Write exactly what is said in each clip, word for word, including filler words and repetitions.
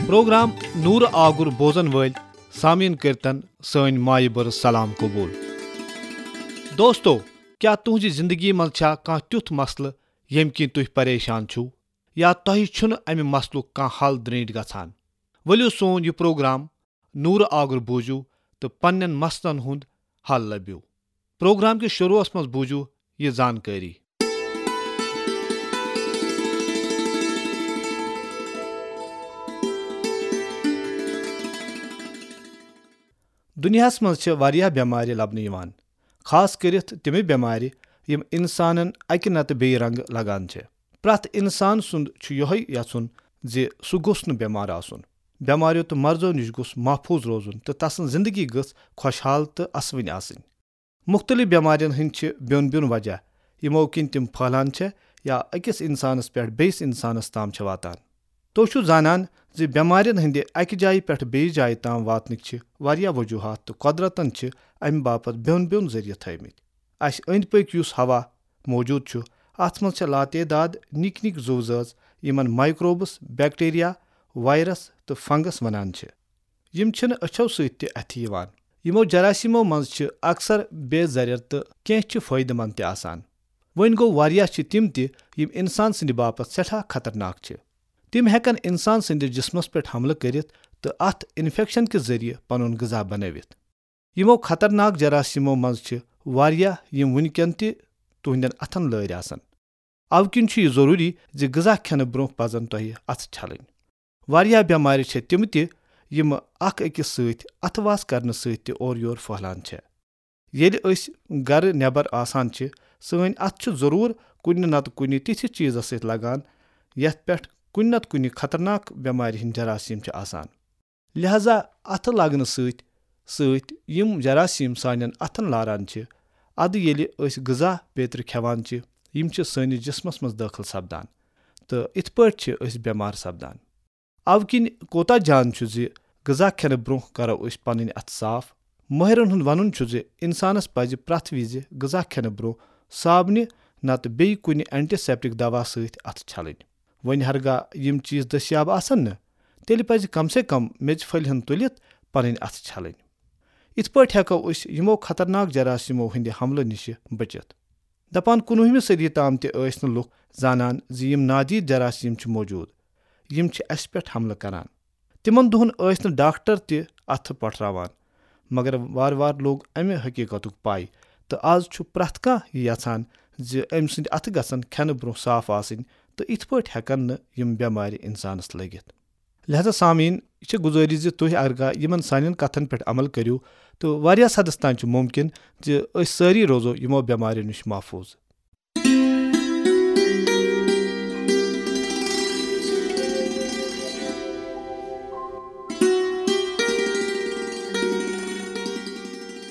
Programme نورٕ آگُر بوزن وٲلۍ سامعیٖن کٔرتن سٲنۍ مایہِ بٔرٕژ سلام قبول۔ دوستو، کیٛاہ تُہنٛزِ زندگی منٛز چھا کانٛہہ تیُتھ مسلہٕ ییٚمہِ کِنۍ تُہۍ پریشان چھِو، یا تۄہہِ چھُنہٕ امہِ مسلُک کانٛہہ حل درینٹھ گژھان؟ ؤلِو سون یہِ پروگرام نورٕ آگُر بوٗزِو تہٕ پننٮ۪ن مسلن ہُنٛد حل لٔبِو۔ پروگرام کِس شروعس منٛز بوٗزِو یہِ زانکٲری۔ دُنیاہَس منٛز چھِ واریاہ بٮ۪مارِ لَبنہٕ یِوان، خاص کٔرِتھ تِمہٕ بٮ۪مارِ یِم اِنسانَن اَکہِ نَتہٕ بیٚیہِ رنٛگہٕ لَگان چھِ۔ پرٛٮ۪تھ اِنسان سُنٛد چھُ یِہوٚے یَژھُن زِ سُہ گوٚژھ نہٕ بٮ۪مار آسُن۔ بٮ۪ماریو تہٕ مرضو نِش گوٚژھ محفوٗظ روزُن تہٕ تَسٕنٛز زِندگی گٔژھ خۄشحال تہٕ اَسوٕنۍ آسٕنۍ۔ مُختٔلِف بٮ۪مارٮ۪ن ہٕنٛدۍ چھِ بیوٚن بیوٚن وجہ، یِمو کِنۍ تِم پھٔہلان چھِ یا أکِس اِنسانَس پٮ۪ٹھ بیٚیِس اِنسانَس تام چھِ واتان۔ تُہۍ چھِو زانان زِ بٮ۪مارٮ۪ن ہٕنٛدِ اَکہِ جایہِ پٮ۪ٹھ بیٚیِس جایہِ تام واتنٕکۍ چھِ واریاہ وجوٗہات تہٕ قۄدرتَن چھِ اَمہِ باپتھ بیوٚن بیوٚن ذٔریعہٕ تھٲومٕتۍ۔ اَسہِ أنٛدۍ پٔکۍ یُس ہوا موجود چھُ، اَتھ منٛز چھِ لاتعداد نِکۍ نِکۍ زُو زٲژ، یِمَن مائیکروبس، بیکٹیریا، وائرس تہٕ فنگس وَنان چھِ۔ یِم چھِنہٕ أچھو سۭتۍ تہِ اَتھِ یِوان۔ یِمو جراثیمو منٛز چھِ اکثر بے ضرر تہٕ کینٛہہ چھِ فٲیدٕ مند تہِ آسان۔ وۄنۍ گوٚو، واریاہ چھِ تِم تہِ یِم انسان سٕنٛدِ باپتھ سٮ۪ٹھاہ خطرناک چھِ۔ تِم ہٮ۪کن انسان سٕنٛدِس جسمس پٮ۪ٹھ حملہٕ کٔرِتھ تہٕ اتھ انفیکشن کہِ ذٔریعہٕ پنُن غذا بنٲوِتھ۔ یِمو خطرناک جراثیمو منٛز چھِ واریاہ یِم وٕنکٮ۪ن تہِ تُہنٛدٮ۪ن اتھن لٲرۍ آسن۔ اوٕ کِنۍ چھُ یہِ ضروٗری زِ غذا کھٮ۪نہٕ برٛونٛہہ پزن تۄہہِ اتھٕ چھلٕنۍ۔ واریاہ بٮ۪مارِ چھےٚ تِم تہِ یِم اکھ أکِس سۭتۍ اتھٕ واس کرنہٕ سۭتۍ تہِ اورٕ یور پھٔہلان چھےٚ۔ ییٚلہِ أسۍ گرٕ نٮ۪بر آسان چھِ، سٲنۍ اتھٕ چھِ ضروٗر کُنہِ نتہٕ کُنہِ تِتھِس چیٖزس سۭتۍ لگان، یتھ پٮ۪ٹھ کُنہِ نتہٕ کُنہِ خطرناک بٮ۪مارِ ہٕنٛدۍ جراثیم چھِ آسان۔ لہذا اتھٕ لگنہٕ سۭتۍ سۭتۍ یِم جراثیم سانٮ۪ن اتھن لاران چھِ، ادٕ ییٚلہِ أسۍ غذا پیترِ کھٮ۪وان چھِ، یِم چھِ سٲنِس جسمس منٛز دٲخل سپدان تہٕ اِتھ پٲٹھۍ چھِ أسۍ بٮ۪مار سپدان۔ اوٕ کِنۍ کوتاہ جان چھُ زِ غذا کھٮ۪نہٕ برٛونٛہہ کرو أسۍ پنٕنۍ اتھٕ صاف۔ مٲہرن ہُنٛد ونُن چھُ زِ انسانس پزِ پرٛٮ۪تھ وِزِ غذا کھٮ۪نہٕ برٛونٛہہ صابنہِ نتہٕ بیٚیہِ کُنہِ اینٹی سیپٹک دوا سۭتۍ اتھٕ چھلٕنۍ۔ وۄنۍ ہرگاہ یِم چیٖز دٔستیاب آسن نہٕ، تیٚلہِ پزِ کم سے کم میٚژِ پھٔلۍ ہن تُلِتھ پنٕنۍ اتھٕ چھلٕنۍ۔ یِتھ پٲٹھۍ ہٮ۪کو أسۍ یِمو خطرناک جراثیمو ہٕنٛدِ حملہٕ نِشہِ بٔچِتھ۔ دپان کُنوُہمہِ صدی تام تہِ ٲسۍ نہٕ لُکھ زانان زِ یِم نادید جراثیم چھِ موجود، یِم چھِ اسہِ پٮ۪ٹھ حملہٕ کران۔ تِمن دۄہن ٲسۍ نہٕ ڈاکٹر تہِ اتھٕ پٹھراوان، مگر وارٕ وارٕ لوٚگ امہِ حقیقتُک پے، تہٕ از چھُ پرٛٮ۪تھ کانٛہہ یہِ یژھان زِ أمۍ سٕنٛدۍ اتھٕ گژھن کھٮ۪نہٕ برٛونٛہہ صاف آسٕنۍ، تہٕ یِتھ پٲٹھۍ ہٮ۪کن نہٕ یِم بٮ۪مارِ انسانس لٔگِتھ۔ لہذا سامعیٖن، یہِ چھِ گُزٲرِش زِ تُہۍ ارگا یِمن سانٮ۪ن کتھن پٮ۪ٹھ عمل کٔرِو، تہٕ واریاہ حدس تام چھُ مُمکِن زِ أسۍ سٲری روزو یِمو بٮ۪ماریو نِش محفوٗظ۔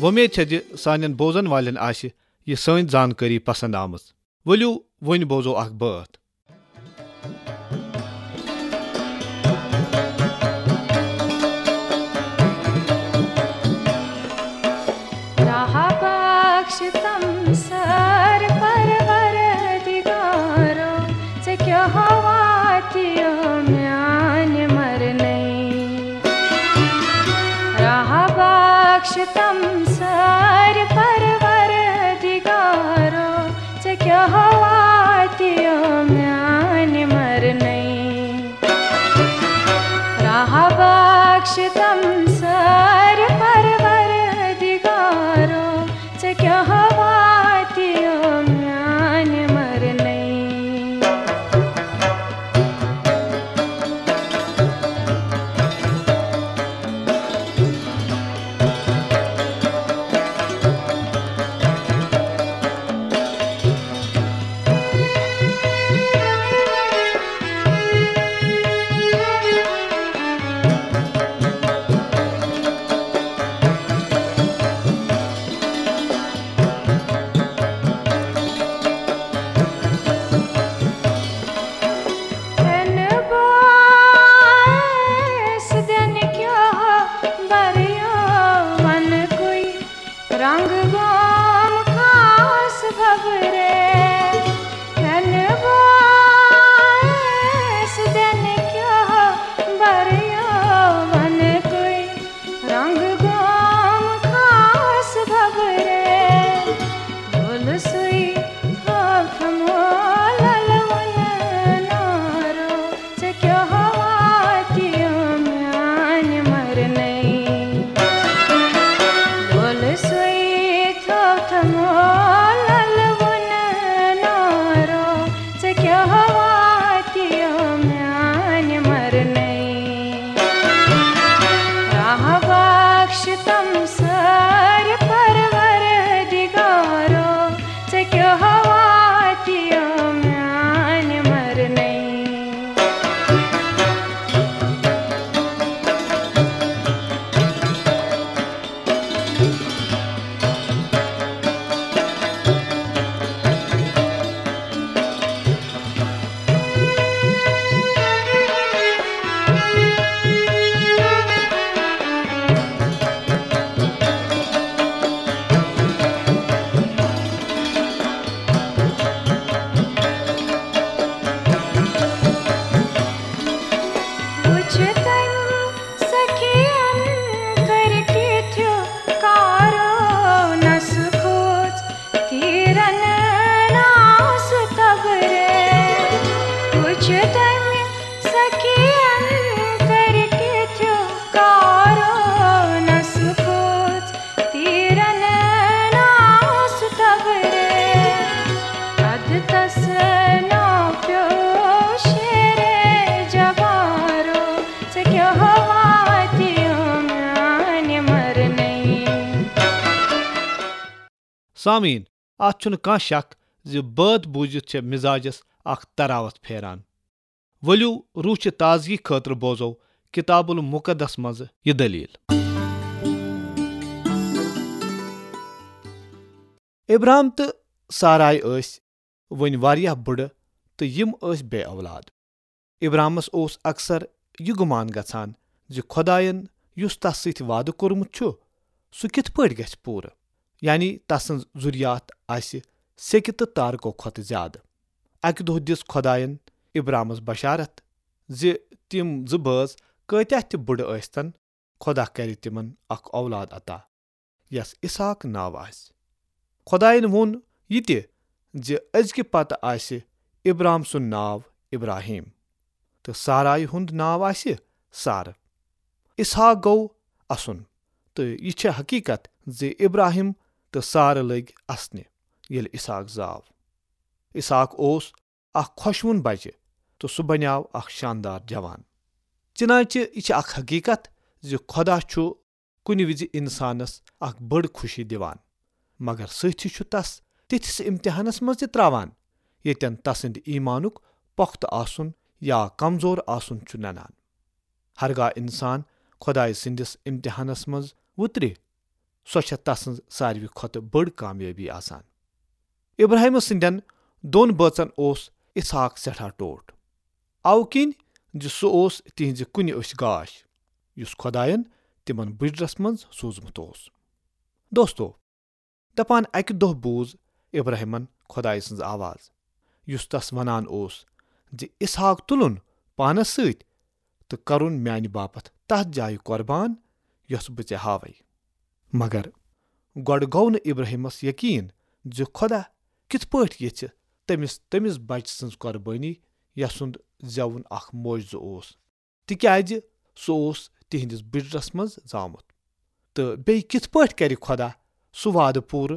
وۄمید چھےٚ زِ سانٮ۪ن بوزن والٮ۪ن آسہِ یہِ سٲنۍ زانکٲری پسند آمٕژ۔ ؤلِو، وۄنۍ بوزو اکھ بٲتھ۔ راہ بخش تم سر پروردگارو، ژےٚ کیٛاہ واتیو میانہِ مرنٕے؟ راہ بخش تم سر پروردگارو، ژےٚ کیٛاہ واتیو میانہِ مرنٕے؟ راہ بخش تم سر پروردگارو، ژےٚ کیٛاہ واتیو میانہِ مرنٕے؟ تہٕ تس ناو پیوٚو شیرے جبارو، ژےٚ کیٛاہ واتیو میانہِ مرنٕے۔ سامعیٖن، اتھ چھُنہٕ کانٛہہ شک زِ بٲتھ بوٗزِتھ چھےٚ مزاجس اکھ تراوت پھیران۔ ؤلِو، روح چہِ تازگی خٲطرٕ بوزو کتاب المقدس منٛز یہِ دٔلیٖل۔ ابرام تہٕ سارائے ٲسۍ وۄنۍ واریاہ بٕڑٕ تہٕ یِم ٲسۍ بے اولاد۔ ابرامس اوس اکثر یہِ گُمان گژھان زِ خۄداین یُس تس سۭتۍ وعدٕ کوٚرمُت چھُ، سُہ کِتھ پٲٹھۍ گژھِ پوٗرٕ، یعنی تسٕنز ذُریات آسہِ سیٚکہِ تہٕ تارکو کھۄتہٕ زیادٕ۔ اکہِ دۄہ دِژ خۄداین ابرامس بشارت زِ تِم زٕ بٲژ کۭتیاہ تہِ بٕڑٕ ٲسۍتن، خۄدا کرِ تِمن اکھ اولاد عطا، یس اسحاق ناو آسہِ۔ خۄداین ووٚن یہِ تہِ زِ أزکہِ پتہٕ آسہِ ابرام سُنٛد ناو ابراہیم تہٕ سارایہِ ہُنٛد ناو آسہِ سارٕ۔ اسحاق گوٚو اسُن، تہٕ یہِ چھےٚ حقیقت زِ ابراہیم تہٕ سارٕ لٔگۍ اسنہِ ییٚلہِ اسحاق زاو۔ اسحاق اوس اکھ خۄشوُن بچہِ تہٕ سُہ بنیاو اکھ شاندار جوان۔ چنانچہ یہِ چھِ اکھ حقیقت زِ خۄدا چھُ کُنہِ وِزِ انسانس اکھ بٔڑ خوشی دِوان، مگر سۭتھی چھُ تس تِتھِس امتحانس منٛز تہِ تراوان، ییٚتٮ۪ن تسٕنٛدِ ایمانُک پۄختہٕ آسُن یا کمزور آسُن چھُ ننان۔ ہرگاہ انسان خۄدایہِ سٕنٛدِس امتحانس منٛز وُترِ، سۄ چھےٚ تسٕنٛز ساروی کھۄتہٕ بٔڑ کامیٲبی آسان۔ ابراہیم سٕنٛدٮ۪ن دۄن بٲژن اوس اسحاق سٮ۪ٹھاہ ٹوٹھ، اَوٕ کِنۍ زِ سُہ اوس تِہنٛزِ کُنہِ أچھ گاش، یُس خۄداین تِمن بُجرس منٛز سوٗزمُت اوس۔ دوستو، دپان اکہِ دۄہ بوٗز ابراہیمن خۄدایہِ سٕنٛز آواز، یُس تس ونان اوس زِ اسحاق تُلُن پانس سۭتۍ تہٕ کرُن میانہِ باپتھ تتھ جایہِ قۄربان، یۄس بہٕ ژےٚ ہاوے۔ مگر گۄڈٕ گوٚو نہٕ ابراہیمس یقین زِ خۄدا کِتھ پٲٹھۍ یژھِ تٔمِس تٔمِس بچہٕ سٕنٛز قۄربٲنی، یسُنٛد زٮ۪وُن اکھ معجزٕ اوس، تِکیازِ سُہ اوس تِہنٛدِس بُجرس منٛز زامُت۔ تہٕ بیٚیہِ کِتھ پٲٹھۍ کرِ خۄدا سُہ وعدٕ پوٗرٕ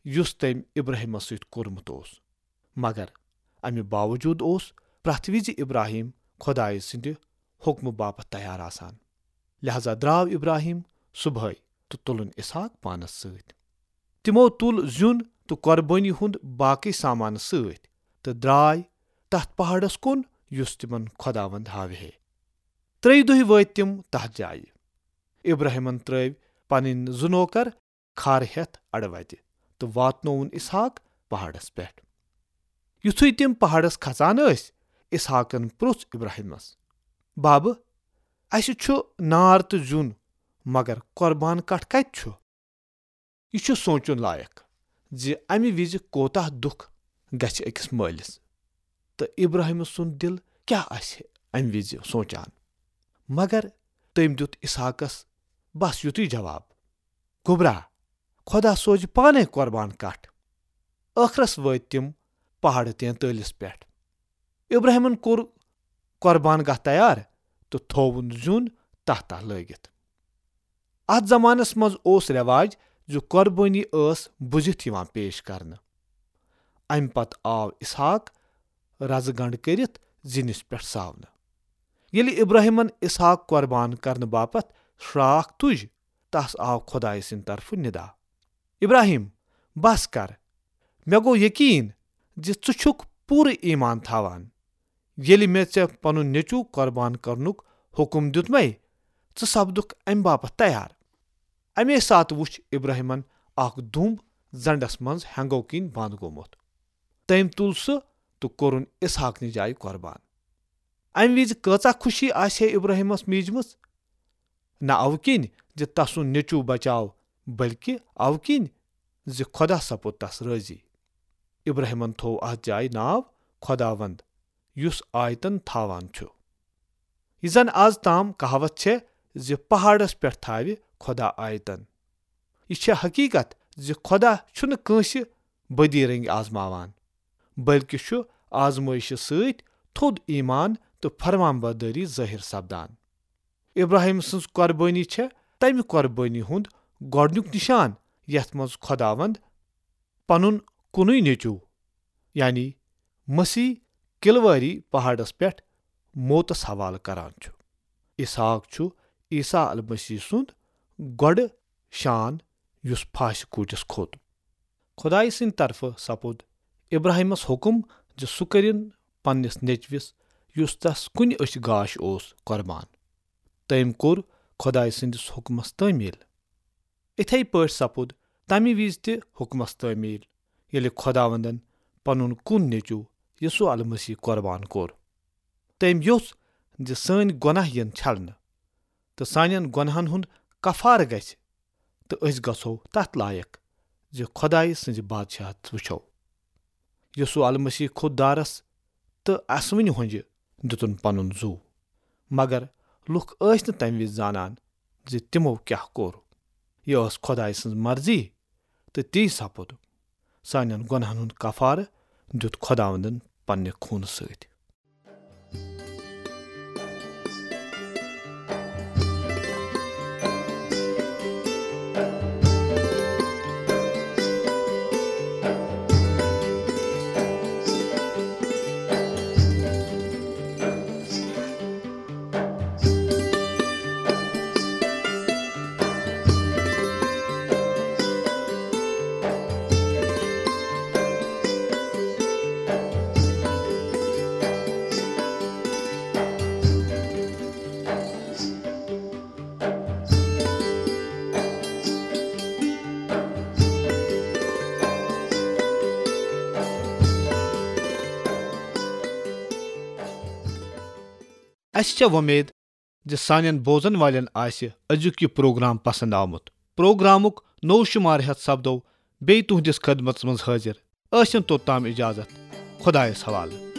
یُس تٔمۍ ابراہیمس سۭتۍ کوٚرمُت اوس؟ مگر امہِ باوجود اوس پرٛٮ۪تھ وِزِ ابراہیم خۄدایہِ سٕنٛدِ حُکمہٕ باپتھ تیار آسان۔ لہذا درٛاو ابراہیم صبحٲے تہٕ تُلُن اسحاق پانس سۭتۍ۔ تِمو تُل زیُن تہٕ قۄربٲنی ہُنٛد باقٕے سامان سۭتۍ تہٕ درٛاے تتھ پہاڑس کُن یُس تِمن خۄداوند ہاوِہے۔ ترٛیٚیہِ دۄہہِ وٲتۍ تِم تتھ جایہِ۔ ابراہیمن ترٲوۍ پنٕنۍ زٕ نوکر کھار ہٮ۪تھ اڑٕ وتہِ تہٕ واتنووُن اسحاق پہاڑس پٮ۪ٹھ۔ یُتھُے تِم پہاڑس کھژان ٲسۍ، اسحاقن پرُژھ ابراہیمس، "بابہٕ، اسہِ چھُ نار تہٕ زیُن، مگر قۄربان کٹھ کتہِ چھُ؟" یہِ چھُ سونچُن لایق زِ امہِ وِزِ کوتاہ دُکھ گژھِ أکِس مٲلِس، تہٕ ابراہیم سُنٛد دِل کیٛاہ آسہِ امہِ وِزِ سونچان۔ مگر تٔمۍ دیُت اسحاقس بس یُتُے جواب، "گوٚبرا، خۄدا سوزِ پانے قۄربان کٹھ۔" ٲخرس وٲتۍ تِم پہاڑ تینتٲلِس پٮ۪ٹھ۔ ابراہیمن کوٚر قۄربان گاہ تیار تہٕ تھووُن زیُن تتھ تل لٲگِتھ۔ اتھ زمانس منٛز اوس رٮ۪واج زِ قۄربٲنی ٲس بُزِتھ یِوان پیش کرنہٕ۔ امہِ پتہٕ آو اسحاق رزٕ گنڈ کٔرِتھ زِنِس پٮ۪ٹھ ساونہٕ۔ ییٚلہِ ابراہیمن اسحاق قۄربان کرنہٕ باپتھ شراکھ تُج، تس آو خۄدایہِ سٕنٛدِ طرفہٕ ندا، "ابراہیم، بس کر، مےٚ گوٚو یقین زِ ژٕ چھُکھ پوٗرٕ ایمان تھاوان۔ ییٚلہِ مےٚ ژےٚ پنُن نیٚچوٗ قۄربان کرنُک حُکم دیُتمے، ژٕ سپدُکھ امہِ باپتھ تیار۔" امے ساتہٕ وُچھ ابراہیمن اکھ دُمب زنڈس منٛز ہٮ۪نٛگو کِنۍ بنٛد گوٚمُت۔ تٔمۍ تُل سُہ تہٕ کوٚرُن اسحاق نہِ جایہِ قۄربان۔ امہِ وِزِ کۭژاہ خوشی آسہِ ہے ابراہیمس میٖجمٕژ؟ نہ اَوٕ کِنۍ زِ تسُنٛد نیٚچوٗ بچاو، بلکہِ اَوٕ کِنۍ زِ خۄدا سپُد تس رٲضی۔ ابراہیمن تھوو اتھ جایہِ ناو خۄداوند، یُس آیتن تھاوان چھُ۔ یہِ زن از تام کہاوت چھےٚ زِ پہاڑس پٮ۪ٹھ تھاوِ خۄدا آیتن۔ یہِ چھےٚ حقیقت زِ خۄدا چھُنہٕ کٲنٛسہِ بدی رنگۍ آزماوان، بلکہِ چھُ آزمٲیشہِ سۭتۍ تھوٚد ایمان تہٕ فرمان بردٲری ظٲہِر سپدان۔ ابراہیم سٕنٛز قۄربٲنی چھےٚ تمہِ قۄربٲنی ہُنٛد گۄڈنیُک نشان، یتھ منٛز خۄداوند پنُن کُنُے نیٚچوٗ، یعنی مسیح کلواری پہاڑس پٮ۪ٹھ موتس حوالہٕ کران چھُ۔ اسحاق چھُ عیسیٰ المسیح سُنٛد گۄڈٕ شان، یُس پھاسہِ کوٗٹِس کھوٚت۔ خۄدایہِ سٕنٛدِ طرفہٕ سپُد ابراہیمس حُکم زِ سُہ کٔرِن پننِس نیٚچوِس، یُس تس کُنہِ أچھ گاش اوس، قۄربان۔ تٔمۍ کوٚر خۄدایہِ سٕنٛدِس حُکمس تعمیٖل۔ اِتھے پٲٹھۍ سپُد تمہِ وِزِ تہِ حُکمس تعمیٖل، ییٚلہِ خۄداوندن پنُن کُن نیٚچو یسوع المسیح قۄربان کوٚر۔ تٔمۍ یوٚژھ زِ سٲنۍ گۄناہ یِن چھلنہٕ تہٕ سانٮ۪ن گۄناہن ہُنٛد کفارٕ گژھِ، تہٕ أسۍ گژھو تتھ لایق زِ خۄدایہِ سٕنٛزِ بادشاہت وٕچھو۔ یسوع المسیح کھوٚت دارس تہٕ اسوٕنہِ ہۄنجہِ دِتُن پنُن زُو، مگر لُکھ ٲسۍ نہٕ تمہِ وِزِ زانان زِ تِمو کیاہ کوٚر۔ یہِ ٲس خۄدایہِ سٕنٛز مرضی، تہٕ تی سپُد۔ سانٮ۪ن گۄناہن ہُنٛد کفارٕ دیُت خۄداوندن پننہِ خوٗنہٕ سۭتۍ۔ اسہِ چھےٚ وۄمید زِ سانٮ۪ن بوزن والٮ۪ن آسہِ أزیُک یہِ پروگرام پسند آمُت۔ پروگرامُک نوٚو شمارٕ ہٮ۪تھ سپدو بیٚیہِ تُہنٛدِس خدمتس منٛز حٲضِر۔ ٲسِن توٚتام اجازت۔ خۄدایس حوالہٕ۔